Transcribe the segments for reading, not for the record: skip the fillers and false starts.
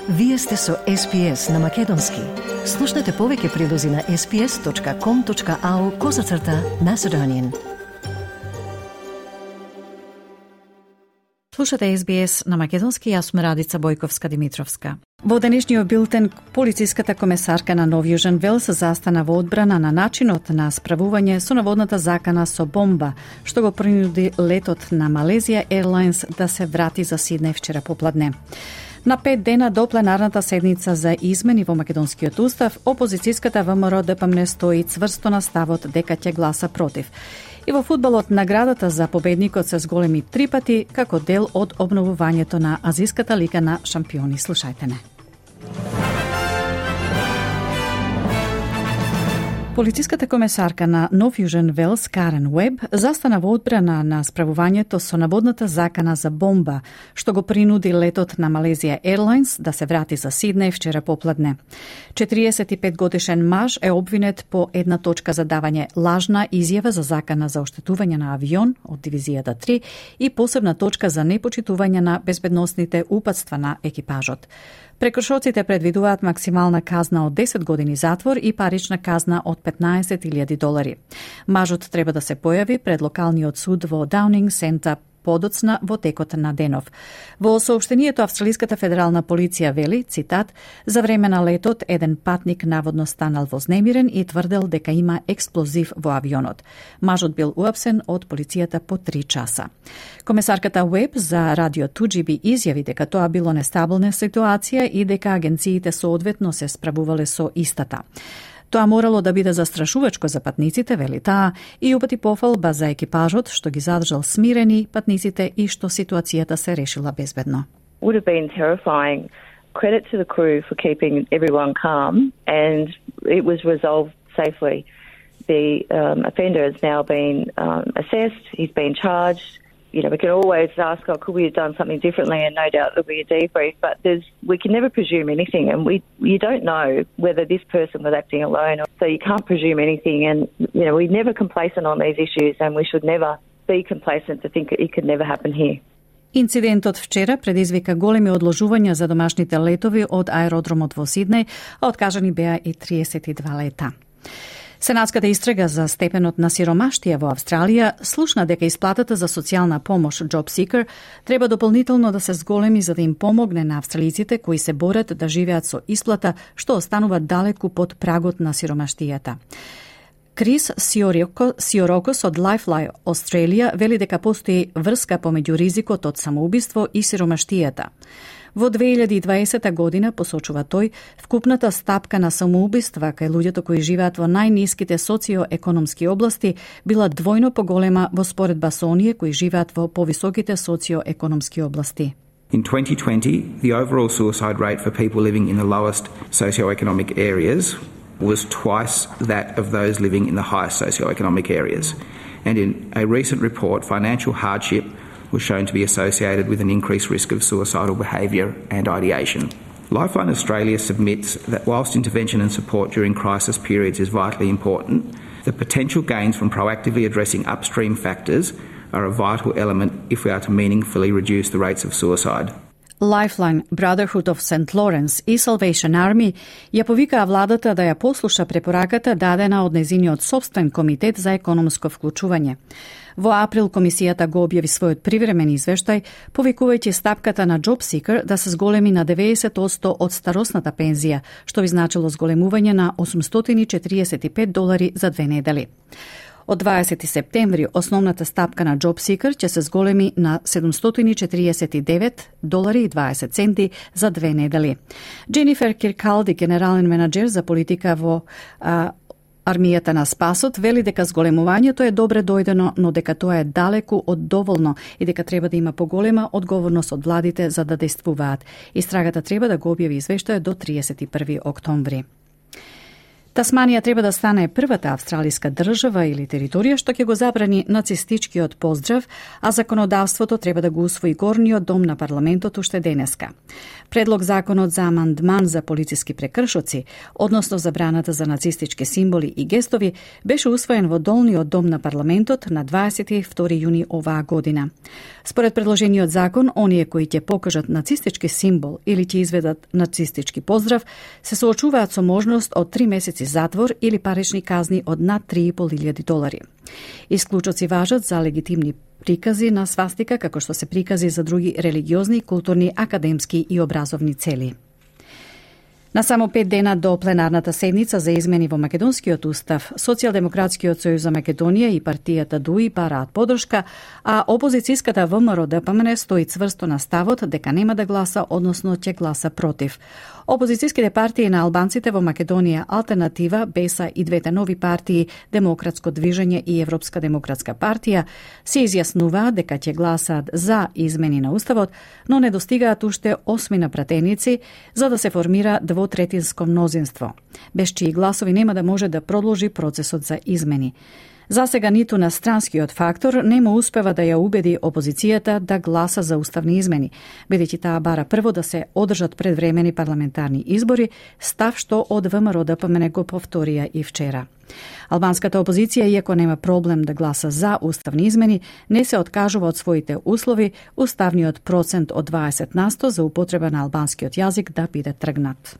Вие сте со SPS на Македонски. Слушнете повеќе прилози на sps.com.au/Macedonian. Слушате SBS на Македонски, јас сум Радица Бојковска-Димитровска. Во денешниот билтен, полициската комесарка на Нов Јужен Велс застана во одбрана на начинот на справување со наводната закана со бомба, што го принуди летот на Malaysia Airlines да се врати за Сиднеј вчера попладне. На 5 дена до пленарната седница за измени во македонскиот устав, опозицијската ВМРО ДПМН стои цврсто на ставот дека ќе гласа против. И во фудбалот наградата за победникот се зголеми 3 пати како дел од обновувањето на Азиската лига на шампиони. Слушајте не. Полициската комесарка на Нов Јужен Велс, Карен Уеб, застана во одбрана на справувањето со наводната закана за бомба, што го принуди летот на Malaysia Airlines да се врати за Сиднеј вчера попладне. 45 годишен маж е обвинет по една точка за давање лажна изјава за закана за оштетување на авион од дивизијата 3 и посебна точка за непочитување на безбедносните упатства на екипажот. Прекршоците предвидуваат максимална казна од 10 години затвор и парична казна од $15,000. Мажот треба да се појави пред локалниот суд во Даунинг Сента подоцна во текот на денов. Во соопштението Австралиската федерална полиција вели, цитат, за време на летот еден патник наводно станал вознемирен и тврдел дека има експлозив во авионот. Мажот бил уапсен од полицијата по 3 часа. Комесарката Уеб за радио 2GB изјави дека тоа било нестабилна ситуација и дека агенциите соодветно се справувале со истата. Тоа морало да биде застрашувачко за патниците, вели таа, и упати пофалба за екипажот што ги задржал смирени патниците и што ситуацијата се решила безбедно. Would have been terrifying. Credit to the crew for keeping everyone calm, and it was resolved safely. The offender has now been assessed, he's been charged. You know, we can always ask, could we have done something differently, and no doubt there'll be a debrief, but we can never presume anything, and you don't know whether this person was acting alone, so you can't presume anything, and, you know, we're never complacent on these issues, and we should never be complacent to think it could never happen here. Инцидентот вчера предизвика големи одложувања за домашните летови од аеродромот во Сиднеј, а откажани беа и 32 лета. Сенатската истрага за степенот на сиромаштија во Австралија слушна дека исплатата за социјална помош Job Seeker треба дополнително да се зголеми за да им помогне на австралиците кои се борат да живеат со исплата што останува далеку под прагот на сиромаштијата. Крис Сиорокос од Lifeline Australia вели дека постои врска помеѓу ризикот од самоубиство и сиромаштијата. Во 2020 година, посочува тој, вкупната стапка на самоубиства кај луѓето кои живеат во најниските социоекономски области била двојно поголема во споредба со оние кои живеат во повисоките социоекономски области. In 2020, the overall suicide rate for people living in the lowest socioeconomic areas was twice that of those living in the highest socioeconomic areas. And in a recent report, financial hardship was shown to be associated with an increased risk of suicidal behaviour and ideation. Lifeline Australia submits that whilst intervention and support during crisis periods is vitally important, the potential gains from proactively addressing upstream factors are a vital element if we are to meaningfully reduce the rates of suicide. Lifeline, Brotherhood of St. Lawrence и Salvation Army ја повикаа владата да ја послуша препораката дадена од незиниот собствен комитет за економско вклучување. Во април комисијата го објави својот привремен извештај, повикувајќи стапката на Job Seeker да се зголеми на 90% од старосната пензија, што би значило зголемување на $845 за 2 недели. Од 20 септември основната стапка на Job Seeker ќе се зголеми на $749.20 за 2 недели. Дженифер Киркалди, генерален менеджер за политика во Армијата на спасот, вели дека зголемувањето е добре дојдено, но дека тоа е далеку од доволно и дека треба да има поголема одговорност од владите за да действуваат. Истрагата треба да го објави извештајот до 31 октомври. Тасманија треба да стане првата австралиска држава или територија што ќе го забрани нацистичкиот поздрав, а законодавството треба да го усвои горниот дом на парламентот уште денеска. Предлог законот за амандман за полициски прекршоци, односно забраната за нацистички символи и гестови, беше усвоен во долниот дом на парламентот на 22 јуни оваа година. Според предложениот закон, оние кои ќе покажат нацистички символ или ќе изведат нацистички поздрав, се соочуваат со можност од 3 месеци затвор или парични казни од над $3.500. Исклучоци важат за легитимни прикази на свастика, како што се прикази за други религиозни, културни, академски и образовни цели. На само 5 дена до пленарната седница за измени во Македонскиот устав, Социјалдемократскиот сојуз за Македонија и партијата ДУИ бараат подршка, а опозицијската ВМРО-ДПМН стои цврсто на ставот дека нема да гласа, односно ќе гласа против. Опозицијските партии на албанците во Македонија, Алтернатива, БЕСА и двете нови партии, Демократско движење и Европска демократска партија, се изјаснуваат дека ќе гласаат за измени на уставот, но не достигаат уште 8 пратеници за да се формира двотретинско мнозинство, без чии гласови нема да може да продолжи процесот за измени. За сега ниту на странскиот фактор нема успева да ја убеди опозицијата да гласа за уставни измени, бидејќи таа бара прво да се одржат предвремени парламентарни избори, став што од ВМРО-ДПМН го повторија и вчера. Албанската опозиција, иако нема проблем да гласа за уставни измени, не се откажува од своите услови уставниот процент од 20% за употреба на албанскиот јазик да биде тргнат.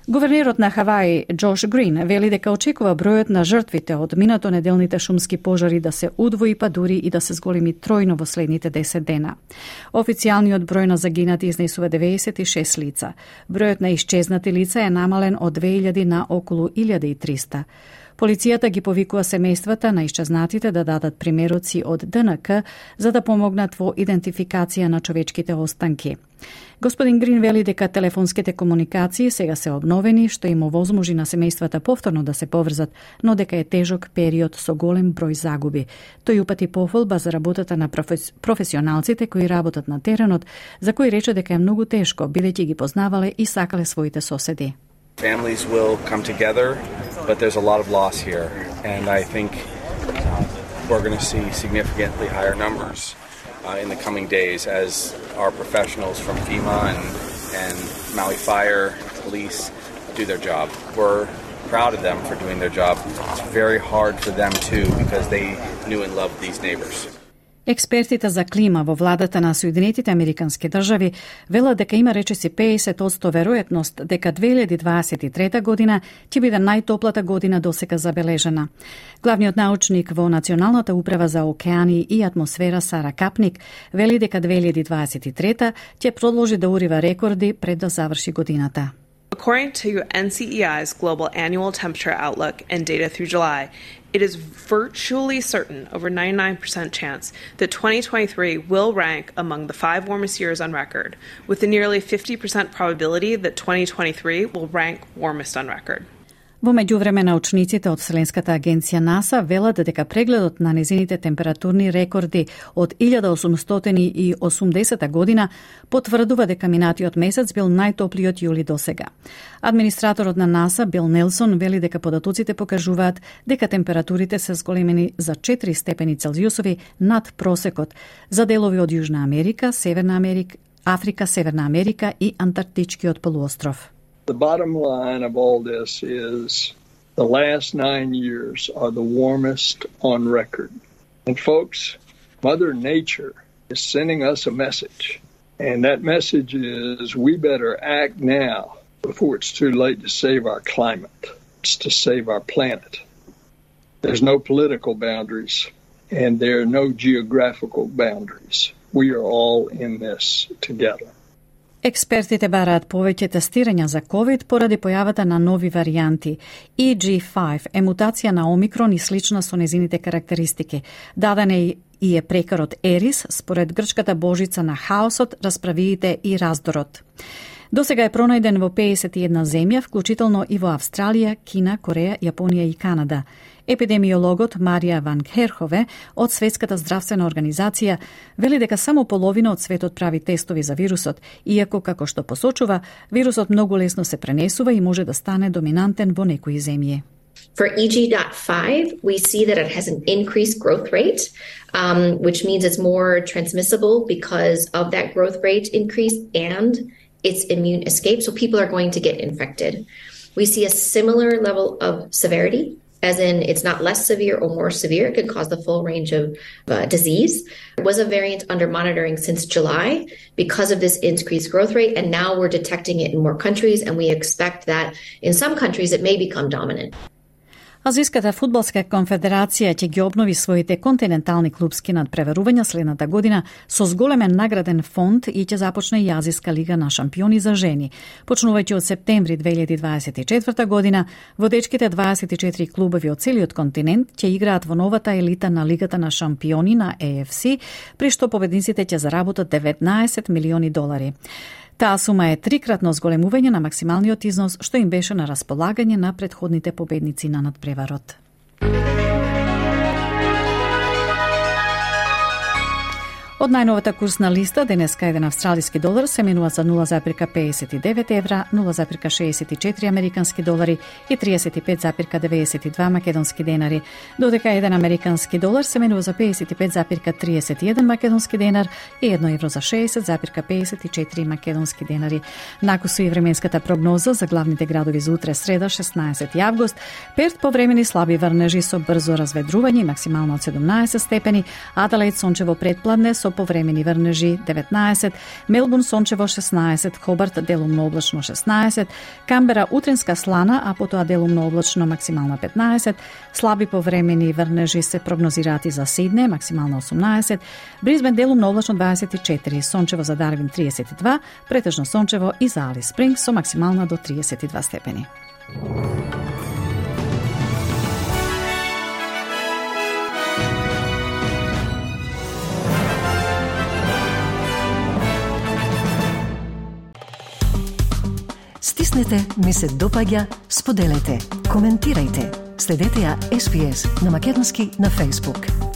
Гувернерот на Хаваи, Джош Грин, вели дека очекува бројот на жртвите од минатонеделните шумски пожари да се удвои, па дури и да се зголеми тројно во следните 10 дена. Официјалниот број на загинати изнесува 96 лица. Бројот на исчезнати лица е намален од 2000 на околу 1300. Полицијата ги повикува семејствата на исчезнатите да дадат примероци од ДНК за да помогнат во идентификација на човечките останки. Господин Грин вели дека телефонските комуникации сега се обновени, што им овозможи на семејствата повторно да се поврзат, но дека е тежок период со голем број загуби. Тој упати пофолба за работата на професионалците кои работат на теренот, за кои рече дека е многу тешко, бидејќи ги познавале и сакале своите соседи. Families will come together, but there's a lot of loss here, and I think we're going to see significantly higher numbers in the coming days as our professionals from FEMA and Maui Fire Police do their job. We're proud of them for doing their job. It's very hard for them too because they knew and loved these neighbors. Експертите за клима во владата на Соединетите Американски држави велат дека има речиси 50% веројатност дека 2023 година ќе биде најтоплата година досега забележена. Главниот научник во Националната управа за океани и атмосфера Сара Капник вели дека 2023 ќе продолжи да урива рекорди пред да заврши годината. According to NCEI's Global Annual Temperature Outlook and data through July, it is virtually certain, over 99% chance, that 2023 will rank among the 5 warmest years on record, with a nearly 50% probability that 2023 will rank warmest on record. Во меѓувреме, научниците од Вселенската агенција НАСА велат дека прегледот на незините температурни рекорди од 1880 година потврдува дека минатиот месец бил најтоплиот јули досега. Администраторот на НАСА Бил Нелсон вели дека податоците покажуваат дека температурите се зголемени за 4 степени Целзиусови над просекот за делови од Јужна Америка, Северна Америка, Африка, Северна Америка и Антарктичкиот полуостров. The bottom line of all this is the last 9 years are the warmest on record. And folks, Mother Nature is sending us a message. And that message is we better act now before it's too late to save our climate. It's to save our planet. There's no political boundaries and there are no geographical boundaries. We are all in this together. Експертите бараат повеќе тестирања за COVID поради појавата на нови варијанти. EG5 е мутација на Омикрон и слична со незините карактеристики. Даден е и е прекарот Ерис, според грчката божица на хаосот, расправиите и раздорот. Досега е пронајден во 51 земја, вклучително и во Австралија, Кина, Кореја, Јапонија и Канада. Епидемиологот Марија Ван Керхове од Светската здравствена организација вели дека само половина од светот прави тестови за вирусот, иако, како што посочува, вирусот многу лесно се пренесува и може да стане доминантен во некои земји. For EG.5, we see that it has an increased growth rate, which means it's more transmissible because of that growth rate increase and its immune escape, so people are going to get infected. We see a similar level of severity, as in it's not less severe or more severe. It can cause the full range of disease. It was a variant under monitoring since July because of this increased growth rate, and now we're detecting it in more countries, and we expect that in some countries it may become dominant. Азиската фудбалска конфедерација ќе ги обнови своите континентални клупски надпреварувања следната година со зголемен награден фонд и ќе започне и Азиска лига на шампиони за жени. Почнувајќи од септември 2024 година, водечките 24 клубови од целиот континент ќе играат во новата елита на Лигата на шампиони на AFC, при што победниците ќе заработат $19 милиони. Таа сума е трикратно зголемување на максималниот износ што им беше на располагање на претходните победници на надпреварот. Од најновата курсна листа, денеска еден австралиски долар се менува за 0,59 евра, 0,64 американски долари и 35,92 македонски денари, додека еден американски долар се менува за 55,31 македонски денар и 1 евро за 60,54 македонски денари. Накусу и временската прогноза за главните градови за утре среда 16 август, Перт повремени слаби врнежи со брзо разведрување и максимално од 17 степени, Аделаид сончево предпладне со повремени врнежи 19, Мелбурн сончево 16, Хобарт делумно облачно 16, Камбера утринска слана, а потоа делумно облачно максимално 15, слаби повремени врнежи се прогнозираат и за Сидне, максимално 18, Бризбен делумно облачно 24, сончево за Дарвин 32, претежно сончево и за Алис Спрингс со максимална до 32 степени. Стиснете, ми се допаѓа, споделете, коментирајте. Следете ја SPS на Македонски на Facebook.